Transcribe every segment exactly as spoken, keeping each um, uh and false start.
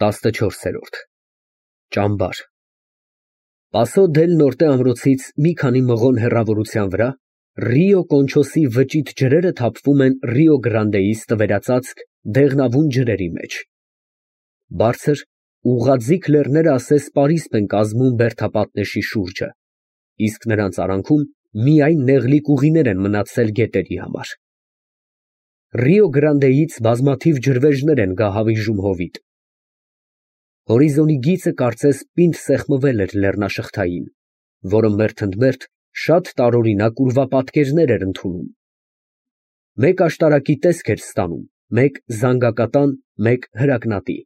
տասնչորսերորդ ՃԱՄԲԱՐ Պասո դել Նորտե ամրոցից մի քանի մղոն հեռավորության վրա Ռիո Կոնչոսի վճիտ ջրերը թափվում են Ռիո Գրանդեից տվերածածկ դեղնավուն ջրերի մեջ։ Բարձր, ուղղաձիգ լեռները ասես պարիսպ են կազմում բերդապատնեշի շուրջը, իսկ նրանց արանքում միայն նեղլիկ ուղիներ են մնացել գետերի համար։ Ռիո Գրանդեից բազմաթիվ ջրվեժներ են գահավիժում հովիտ։ Հորիզոնի գիծը կարծես պինդ սեղմվել էր լեռնաշղթային, որը մերթընդմերթ շատ տարօրինակ ուրվապատկերներ էր ընդունում։ Մեկ աշտարակի տեսք էր ստանում, մեկ զանգակատան, մեկ հրակնատի։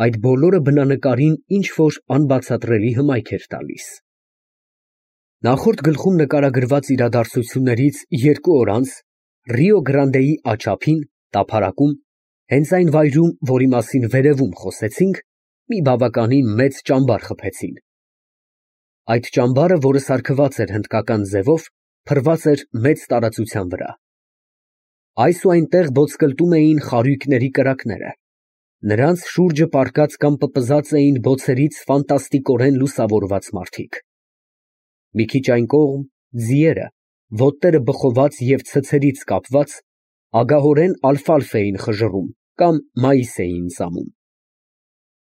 Այդ բոլորը բնանկարին ինչ֊որ անբացատրելի հմայք էր տալիս։ Նախորդ գլխում նկարագրված իրադարձություններից երկու օր անց Ռիո Գրանդեի աջափին, տափարակում, հենց այն վայրում, որի մասին վերևում խոսեցինք, մի բավականին մեծ ճամբար խփեցին։ Այդ ճամբարը, որը սարքված էր հնդկական ձևով, փռված էր մեծ տարածության վրա։ Այս ու այնտեղ ոտսկլտում էին խարույկների կրակները։ Նրանց շուրջը պառկած կամ պպզած էին բոցերից ֆանտաստիկորեն լուսավորված մարդիկ։ Մի քիչ այն կողմ ձիերը, ոտները բխոված և ցցերից կապված, ագահորեն ալֆալֆ էին խժռում կամ մայիս էին ծամում։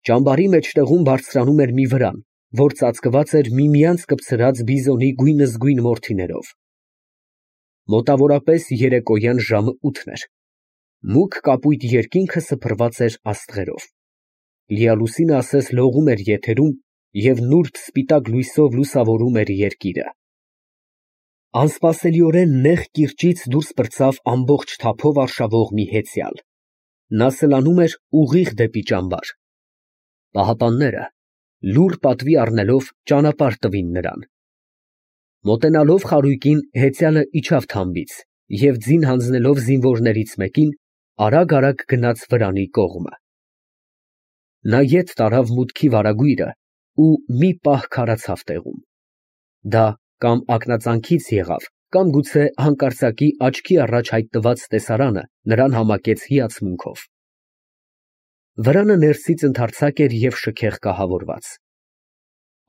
Ճամբարի մեջտեղում բարձրանում էր մի վրան, որ ծածկված էր միմյանց կպցրած բիզոնի գույնզգույն մորթիներով։ Մոտավորապես երեկոյան ժամը ութն էր։ Մուգ կապույտ երկինքը սփռված էր աստղերով։ Լիալուսինը ասես լողում էր եթերում և նուրբ սպիտակ լույսով լուսավորում էր երկիրը։ Անսպասելիորեն նեղ կիրճից դուրս պրծավ ամբողջ թափով արշավող մի հեծյալ։ Նա սլանում էր ուղիղ դեպի ճամբար։ Պահապանները, լուռ պատվի առնելով, ճանապարհ տվին նրան։ Մոտենալով խարույկին, հեծյալը իջավ թամբից և ձին հանձնելով զինվորներից մեկին, արագ֊արագ գնաց վրանի կողմը։ Նա ետ տարավ մուտքի վարագույրը ու մի պահ քարացավ տեղում։ Դա կամ ակնածանքից եղավ, կամ գուցե հանկարծակի աչքի առաջ հայտնված տեսարանը նրան համակեց հիացմունքով։ Վրանը ներսից ընդարձակ էր և շքեղ կահավորված։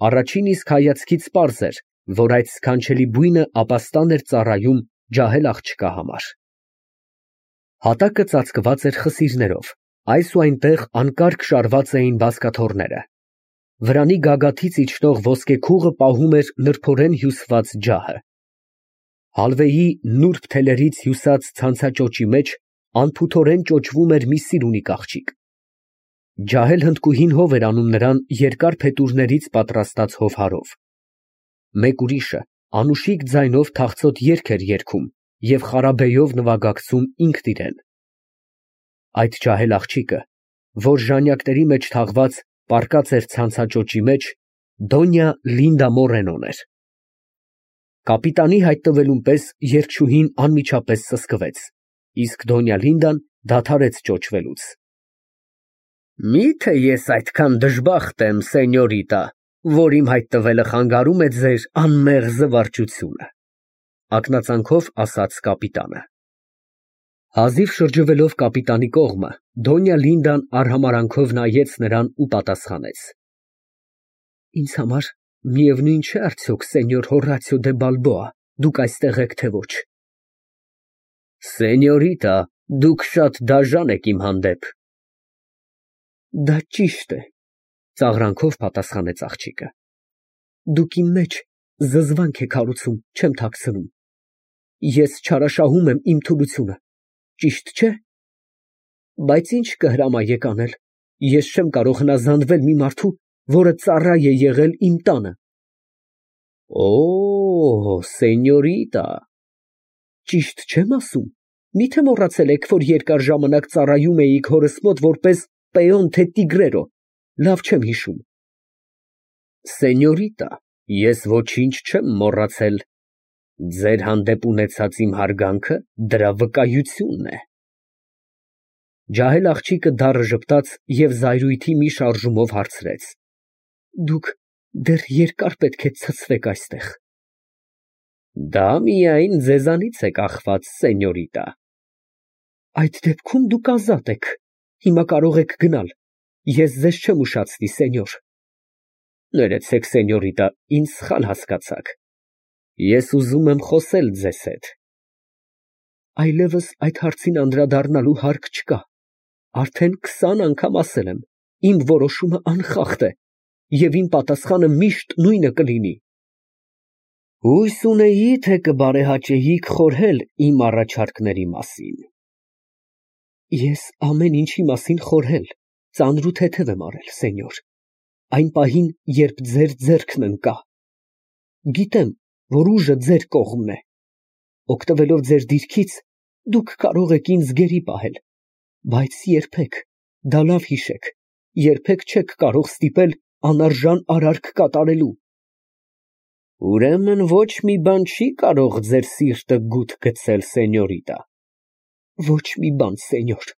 Առաջին իսկ հայացքից պարզ էր, որ այդ սքանչելի բույնը ապաստան էր ծառայում ջահել աղջկա համար։ Հատակը ծածկված էր խսիրներով, այս ու այնտեղ անկարգ շարված էին բազկաթոռները։ Վրանի գագաթից իջնող ոսկեքուղը պահում էր նրբորեն հյուսված ջահը։ Հալվեի նուրբ թելերից հյուսած ցանցաճոճի մեջ անփութորեն ճոճվում էր մի սիրունիկ աղջիկ։ Ջահել հնդկուհին հով էր անում նրան երկար փետուրներից պատրաստած հովհարով։ Մեկ ուրիշը անուշիկ ձայնով թախծոտ երգ էր երգում և խարաբեյով նվագակցում ինքն իրեն։ Այդ ջահել աղջիկը, որ ժանյակների մեջ թաղված պառկած էր ցանցաճոճի մեջ, Դոնյա Լինդա Մորենոն էր։ Կապիտանի հայտնվելուն պես երգչուհին անմիջապես սսկվեց, իսկ Դոնյա Լինդան դադարեց ճոճվելուց։ Մի՞թե ես այդքան դժբախտ եմ, սենյորիտա, որ իմ հայտնվելը խանգարում է ձեր անմեղ զվարճությունը, ֊ ակնածանքով ասաց կապիտանը։ Հազիվ շրջվելով կապիտանի կողմը, Դոնյա Լինդան արհամարհանքով նայեց նրան ու պատասխանեց. Ինձ համար միևնույն չէ արդյոք, սենյոր Հոռացիո դե Բալբոա, դուք այստեղ եք, թե ոչ։ Սենյորիտա, դուք շատ դաժան եք իմ հանդեպ։ Դա ճիշտ է, ծաղրանքով պատասխանեց աղջիկը։ Դուք իմ մեջ զզվանք եք հարուցում, չեմ թաքցնում։ Ես չարաշահում եմ իմ թուլությունը, ճիշտ չէ։ Բայց ինչ կհրամայեք անել, ես չեմ կարող հնազանդվել մի մարդու, որը ծառա է եղել իմ տանը։ Օ, սենյորիտա, ճիշտ չեմ ասում, միթե մոռացել եք, որ երկար ժամանակ ծառայում էիք հորս մոտ որպես պեոն թե տիգրերո, լավ չեմ հիշում։ Սենյորիտա, ես ոչինչ չեմ մոռացել, ձեր հանդեպ ունեցած իմ հարգանքը դրա վկայությունն է։ Ջահել աղջիկը դառը ժպտաց և զայրույթի մի շարժումով հարցրեց. Դուք դեռ երկար պետք է ցցվեք այստեղ։ Դա միայն ձեզանից է կախված, սենյորիտա։ Այդ դեպքում դուք ազատ եք, հիմա կարող եք գնալ։ Ես ձեզ չեմ ուշացնի, սենյոր։ Ներեցեք, սենյորիտա, ինձ սխալ հասկացաք։ Ես ուզում եմ խոսել ձեզ հետ։ Այլևս այդ հարցին անդրադառնալու հարկ չկա։ Արդեն քսան անգամ ասել եմ, իմ որոշումը անխախտ է, և իմ պատասխանը միշտ նույնը կլինի։ Հույս ունեի, թե կբարեհաճեիք խորհել իմ առաջարկների մասին։ Ես ամեն ինչի մասին խորհել, ծանր ու թեթև եմ արել, սենյոր, այն պահին, երբ ձեր ձեռքն ընկա։ Գիտեմ, որ ուժը ձեր կողմն է։ Օգտվելով ձեր դիրքից, դուք կարող եք ինձ գերի պահել, բայց երբեք, դա լավ հիշեք, երբեք չեք կարող ստիպել անարժան արարք կատարելու։ Ուրեմն ոչ մի բան չի կարող ձեր սիրտը գութ գցել, սենյորիտա։ Ոչ մի բան, սենյոր։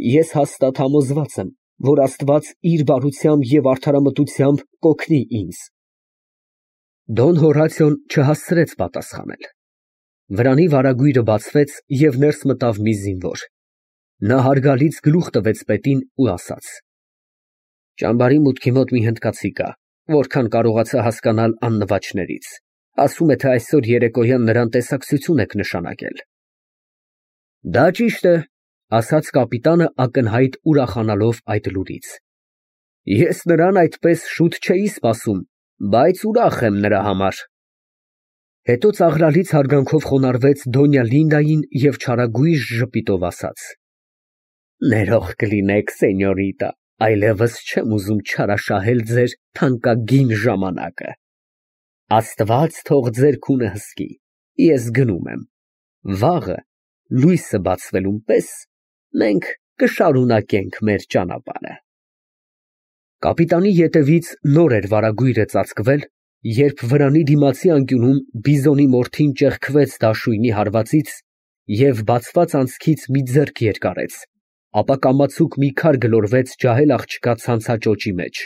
Ես հաստատ համոզված եմ, որ Աստված իր բարությամբ և արդարամտությամբ կօգնի ինձ։ Դոն Հորատիոն չհասցրեց պատասխանել։ Վրանի վարագույրը բացվեց և ներս մտավ մի զինվոր։ Նա հարգալից գլուխ տվեց պետին ու ասաց. Ճամբարի մուտքի մոտ մի հնդկացի կա, որքան կարողացա հասկանալ աննվաճներից, ասում է, թե այսօր երեկոյան նրան տեսակցություն եք նշանակել։ Դա ճիշտ է, ասաց կապիտանը ակնհայտ ուրախանալով այդ լուրից։ Ես նրան այդպես շուտ չէի սպասում, բայց ուրախ եմ նրա համար։ Հետո ծաղրալից հարգանքով խոնարհվեց Դոնյա Լինդային և չարագույժ ժպիտով ասաց. Ներող կլինեք, սենյորիտա, այլևս չեմ ուզում չարաշահել ձեր թանկագին ժամանակը։ Աստված թող ձեր քունը հսկի, ես գնում եմ։ Վաղը, լույսը բացվելուն պես, մենք կշարունակենք մեր ճանապարհը։ Կապիտանի ետևից նոր էր վարագույրը ծածկվել, երբ վրանի դիմացի անկյունում Բիզոնի մորթին ճեղքվեց դաշույնի հարվածից և բացված անցքից մի ձեռք երկարեց, ապա կամացուկ մի քար գլորվեց ջահել աղջկա ցանցաճոճի մեջ։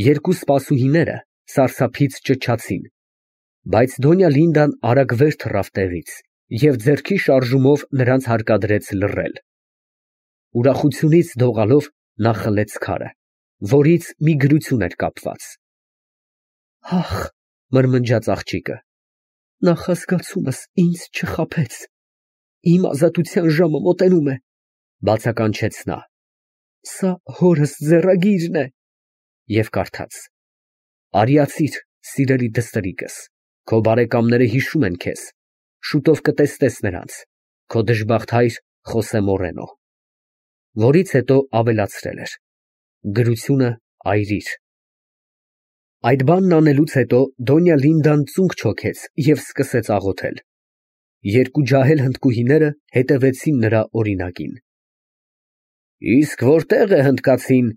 Երկու սպասուհիները սարսափից ճչացին, բայց Դոնյա Լինդան արագ վեր թռավ տեղից և ձեռքի շարժումով նրանց հարկադրեց լռել։ Ուրախությունից դողալով նա խլեց քարը, որից մի գրություն էր կապված։ Ահ, մրմնջաց աղջիկը, նախազգացումս ինձ չխաբեց, իմ ազատության ժամը մոտենում է, բացականչեց նա։ Սա հորս ձեռագիրն է։ Եվ կարդաց. Արիացիր, սիրելի դստրիկս, քո բարեկամները հիշում են քեզ, շուտով կտեսնես նրանց, քո դժբախտ հայր Խոսե Մորենո։ Որից հետո ավելացրել էր. Գրությունը այրիր։ Այդ բանն անելուց հետո Դոնյա Լինդան ծունկ չոքեց և սկսեց աղոթել։ Երկու ջահել հնդկուհիները հետևեցին նրա օրինակին։ Իսկ որտե՞ղ է հնդկացին,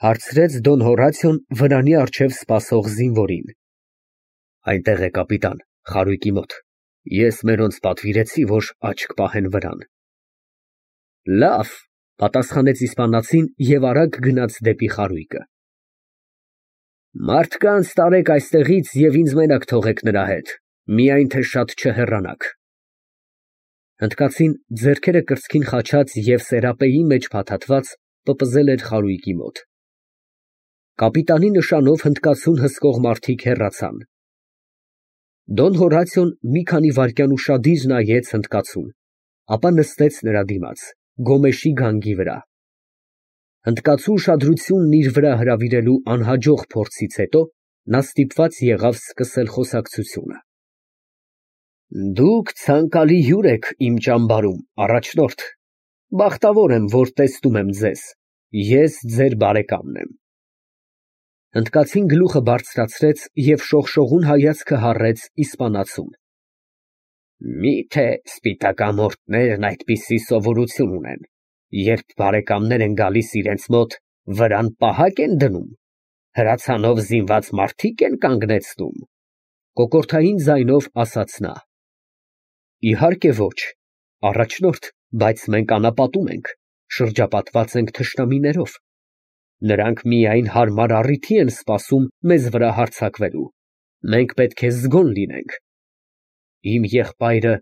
հարցրեց Դոն Հորատիոն վրանի առջև սպասող զինվորին։ Այնտեղ է, կապիտան, խարույկի մոտ, ես մերոնց պատվիրեցի, որ աչք պահեն վրան։ Լավ, պատասխանեց իսպանացին և արագ գնաց դեպի խարույկը։ Մարդկանց տարեք այստեղից և ինձ մենակ թողեք նրա հետ, միայն թե շատ չհեռանաք։ Հնդկացին ձեռքերը կրծքին խաչած և սերապեի մեջ փաթաթված պպզել էր խարույկի մոտ։ Կապիտանի նշանով հնդկացուն հսկող մարդիկ հեռացան։ Դոն Հորատիոն մի քանի վայրկյան ուշադիր նայեց հնդկացուն, ապա նստեց նրա դիմաց, գոմեշի գանգի վրա։ Հնդկացու ուշադրությունն իր վրա հրավիրելու անհաջող փորձից հետո նա ստիպված եղավ սկսել խոսակցությունը։ Դուք ցանկալի հյուր եք իմ ճամբարում, առաջնորդ, բախտավոր եմ, որ տեսնում եմ ձեզ, ես ձեր բարեկամն եմ։ Հնդկացին գլուխը բարձրացրեց և շողշողուն հայացքը հառեց իսպանացուն։ Մի՞թե սպիտակամորթներն այդպիսի սովորություն ունեն, երբ բարեկամներ են գալիս իրենց մոտ, վրան պահակ են դնում, հրացանով զինված մարդիկ են կանգնեցնում, կոկորդային ձայնով ասաց նա։ Իհարկե ոչ, առաջնորդ, բայց մենք անապատում ենք, շրջապատված ենք թշնամիներով, նրանք միայն հարմար առիթի են սպասում մեզ վրա հարձակվելու, մենք պետք է զգոն լինենք։ Իմ եղբայրը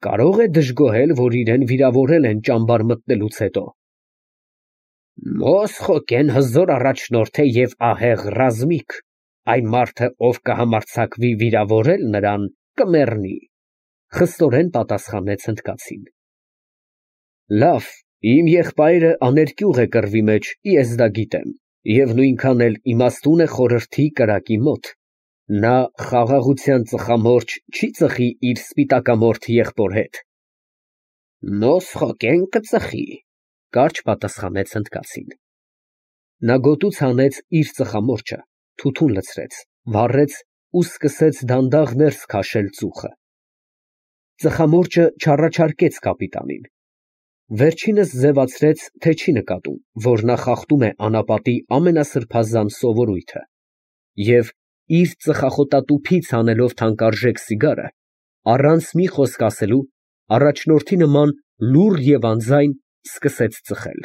կարո՞ղ է դժգոհել, որ իրեն վիրավորել են ճամբար մտնելուց հետո։ Մոսխոկեն հզոր առաջնորդ է և ահեղ ռազմիկ, այն մարդը, ով կհամարձակվի վիրավորել նրան, կմեռնի, խստորեն պատասխանեց հնդկացին։ Լավ, իմ եղբայրը աներկյուղ է կռվի մեջ, ես դա գիտեմ, և նույնքան էլ իմաստուն է խորհրդի կրակի մոտ, նա խաղաղության ծխամորճ չի ծխի իր սպիտակամորթ եղբոր հետ։ Մոսխոկեն կծխի, կարճ պատասխանեց հնդկացին։ Նա գոտուց հանեց իր ծխամորճը, թութուն լցրեց, վառեց ու սկսեց դանդաղ ներս քաշել ծուխը։ Ծխամորճը չառաջարկեց կապիտանին։ Վերջինս ձևացրեց, թե չի նկատում, որ նա խախտում է անապատի ամենասրբազան սովորույթը, և իր ծխախոտատուփից հանելով թանկարժեք սիգարը, առանց մի խոսք ասելու, առաջնորդի նման լուռ և անձայն սկսեց ծխել։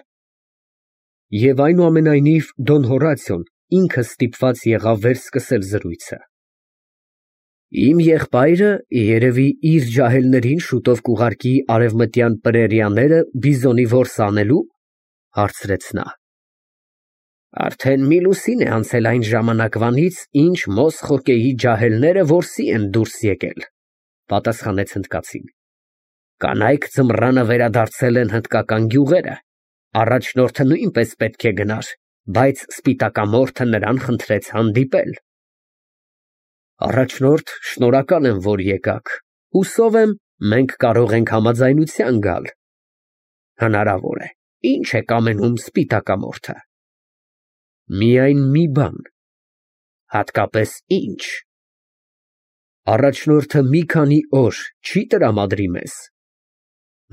Եվ այնուամենայնիվ Դոն Հորատիոն ինքը ստիպված եղավ վերսկսել զրույցը։ Իմ եղբայրը, երևի, իր ջահելներին շուտով կուղարկի արևմտյան պրերիաները բիզոնի որս անելու, հարցրեց նա։ Արդեն մի լուսին է անցել այն ժամանակվանից, ինչ Մոսխոկեի ջահելները որսի են դուրս եկել, պատասխանեց հնդկացին։ Կանայք ձմռանը վերադարձել են հնդկական գյուղերը, առաջնորդը նույնպես պետք է գնար, բայց սպիտակամորթը նրան խնդրեց հանդիպել։ Առաջնորդ, շնորհակալ եմ, որ եկաք, հուսով եմ, մենք կարող ենք համաձայնության գալ։ Հնարավոր է, ինչ է կամենում սպիտակամորթը։ Միայն մի բան։ Հատկապես ինչ։ Առաջնորդը մի քանի օր չի տրամադրի մեզ։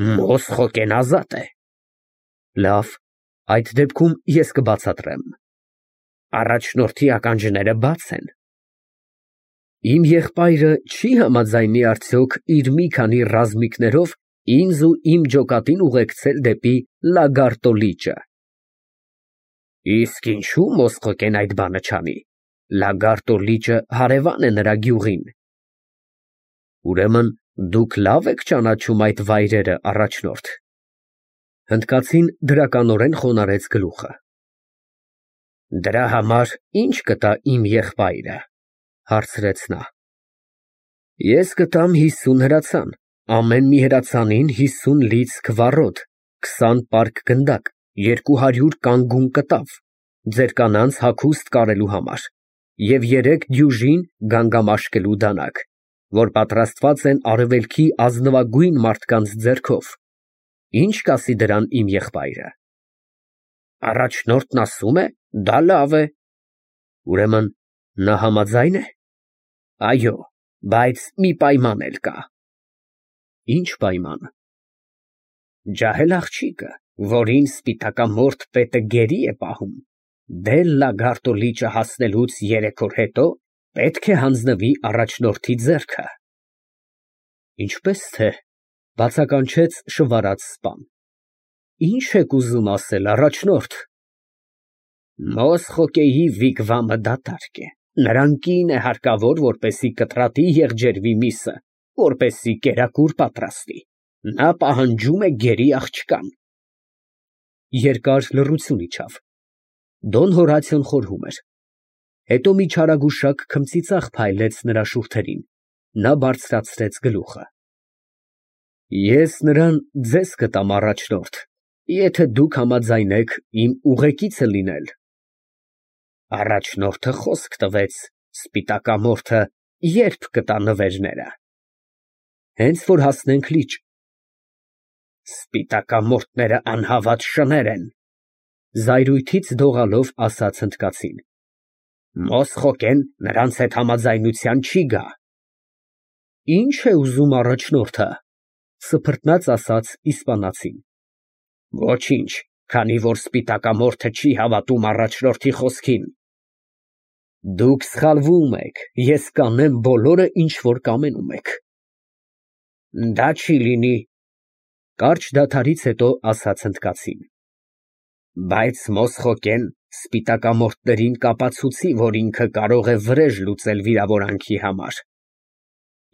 Մոսխոկեն ազատ է։ Լավ, այդ դեպքում ես կբացատրեմ։ Առաջնորդի ականջները բաց են։ Իմ եղբայրը չի համաձայնի արդյոք իր մի քանի ռազմիկներով ինձ ու իմ ջոկատին ուղեկցել դեպի Լագարտո լիճը։ Իսկ ինչու Մոսխոկեն այդ բանը չանի։ Լագարտո լիճը հարևան է նրա գյուղին։ Ուրեմն դուք լավ եք ճանաչում այդ վայրերը, առաջնորդ։ Հնդկացին դրականորեն խոնարհեց գլուխը։ Դրա համար ի՞նչ կտա իմ եղբայրը, հարցրեց նա։ Ես կտամ հիսուն հրացան, ամեն մի հրացանին հիսուն լիցք վառոդ, քսան պարկ գնդակ, երկու հարյուր կանգուն կտավ, ձեր կանանց հագուստ կարելու համար, և երեք դյուժին գանգամաշկելու դանակ, որ պատրաստված են արևելքի ազնվագույն մարդկանց ձեռքով։ Ինչ կասի դրան իմ եղբայրը։ Առաջնորդն ասում է, դա լավ է։ Ուրեմն նա համաձայն է։ Այո, բայց մի պայման էլ կա։ Ինչ պայման։ Ջահել աղջիկը, որին սպիտակամորթ պետը գերի է պահում, Դել Լագարտո լիճը հասնելուց երեք օր հետո պետք է հանձնվի առաջնորդի ձեռքը։ Ինչպես թե, բացականչեց շվարած սպան։ Ինչ եք ուզում ասել, առաջնորդ։ Մոսխոկեի վիգվամը դատարկ է, նրան կին է հարկավոր, որպեսի կտրատի եղջերվի միսը, որպեսի կերակուր պատրաստի, նա պահանջում է գերի աղջկան։ Երկար լռություն իջավ։ Դոն Հորատիոն խորհում էր։ Հետո մի չարագուշակ քմծիծաղ փայլեց նրա շուրթերին, նա բարձրացրեց գլուխը։ Ես նրան ձեզ կտամ, առաջնորդ, եթե դուք համաձայնեք իմ ուղեկիցը լինել։ Առաջնորդը խոսք տվեց, սպիտակամորթը երբ կտա նվերները։ Հենց որ հասնենք լիճ։ Սպիտակամորթները անհավատ շներ են, զայրույթից դողալով ասաց հնդկացին։ Մոսխոկեն նրանց հետ համաձայնության չի գա։ Ինչ է ուզում առաջնորդը, սփռտնաց ասաց իսպանացին։ Ոչինչ, քանի որ սպիտակամորթը չի հավատում առաջնորդի խոսքին։ Դուք սխալվում եք, ես կանեմ բոլորը, ինչ որ կամենում եք։ Դա չի լինի, կարճ դադարից հետո ասաց հնդկացին։ Բայց Մոսխոկեն սպիտակամորթներին կապացուցի, որ ինքը կարող է վրեժ լուծել վիրավորանքի համար։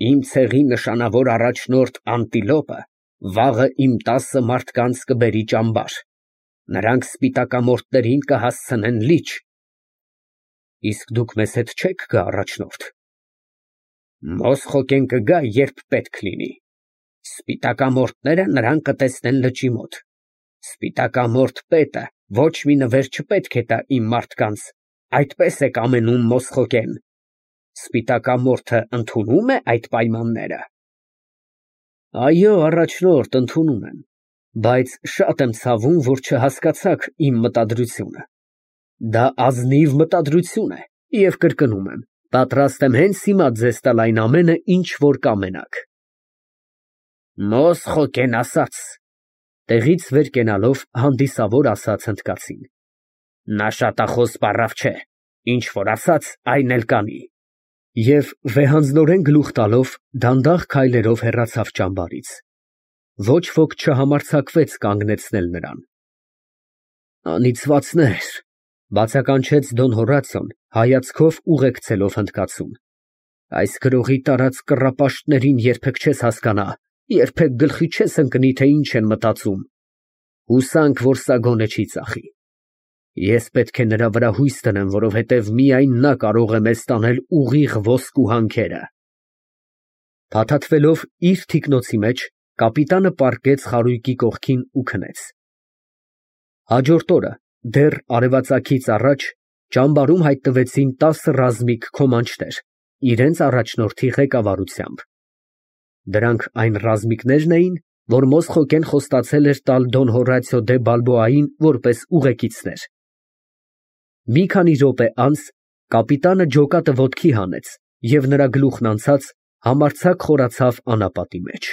Իմ ցեղի նշանավոր առաջնորդ Անտիլոպը վաղը իմ տասը մարդկանց կբերի ճամբար։ նրանք սպիտակամորթներին կհասցնեն լիճ։ Իսկ դուք մեզ հետ չե՞ք գա, առաջնորդ։ Մոսխոկեն կգա, երբ պետք լինի։ Սպիտակամորթները նրան կտեսնեն լճի մոտ։ Սպիտակամորթ պետը ոչ մի նվեր չպետք է տա իմ մարդկանց, այդպես է կամենում Մոսխոկեն։ Սպիտակամորթը ընդունո՞ւմ է այդ պայմանները։ Այո, առաջնորդ, ընդունում եմ, բայց շատ եմ ցավում, որ չհասկացաք իմ մտադրությունը։ Դա ազնիվ մտադրություն է, և կրկնում եմ, պատրաստ եմ հենց հիմա ձեզ տալ այն ամենը, ինչ որ կամենաք։ Մոսխոկեն ասաց, տեղից վեր կենալով հանդիսավոր ասաց հնդկացին։ Նա շատախոս պառավ չէ, ինչ որ ասաց, այն էլ կանի։ Եվ վեհանձնորեն գլուխ տալով դանդաղ քայլերով հեռացավ ճամբարից։ Ոչ ոք չհամարձակվեց կանգնեցնել նրան։ Անիծվածներ, բացականչեց Դոն Հորատիոն, հայացքով ուղեկցելով հնդկացուն։ Այս գրողի տարած կռապաշտներին երբեք չես հասկանա, երբեք գլխի չես ընկնի, թե ինչ են մտածում։ Հուսանք, որ սա գոնե չի ծախի։ Ես պետք է նրա վրա հույս դնեմ, որովհետև միայն նա կարող է մեզ տանել ուղիղ ոսկու հանքերը։ Փաթաթվելով իր թիկնոցի մեջ, կապիտանը պառկեց խարույկի կողքին ու քնեց։ Հաջորդ օրը, դեռ արևածագից առաջ, ճամբարում հայտնվեցին տասը ռազմիկ քոմանչներ, իրենց առաջնորդի ղեկավարությամբ։ Դրանք այն ռազմիկներն էին, որ Մոսխոկեն խոստացել էր տալ Դոն Հորատիո դե Բալբոային որպես ուղեկիցներ։ Մի քանի րոպե անց կապիտանը ջոկատը ոտքի հանեց, և նրա գլուխն անցած համարձակ խորացավ անապատի մեջ։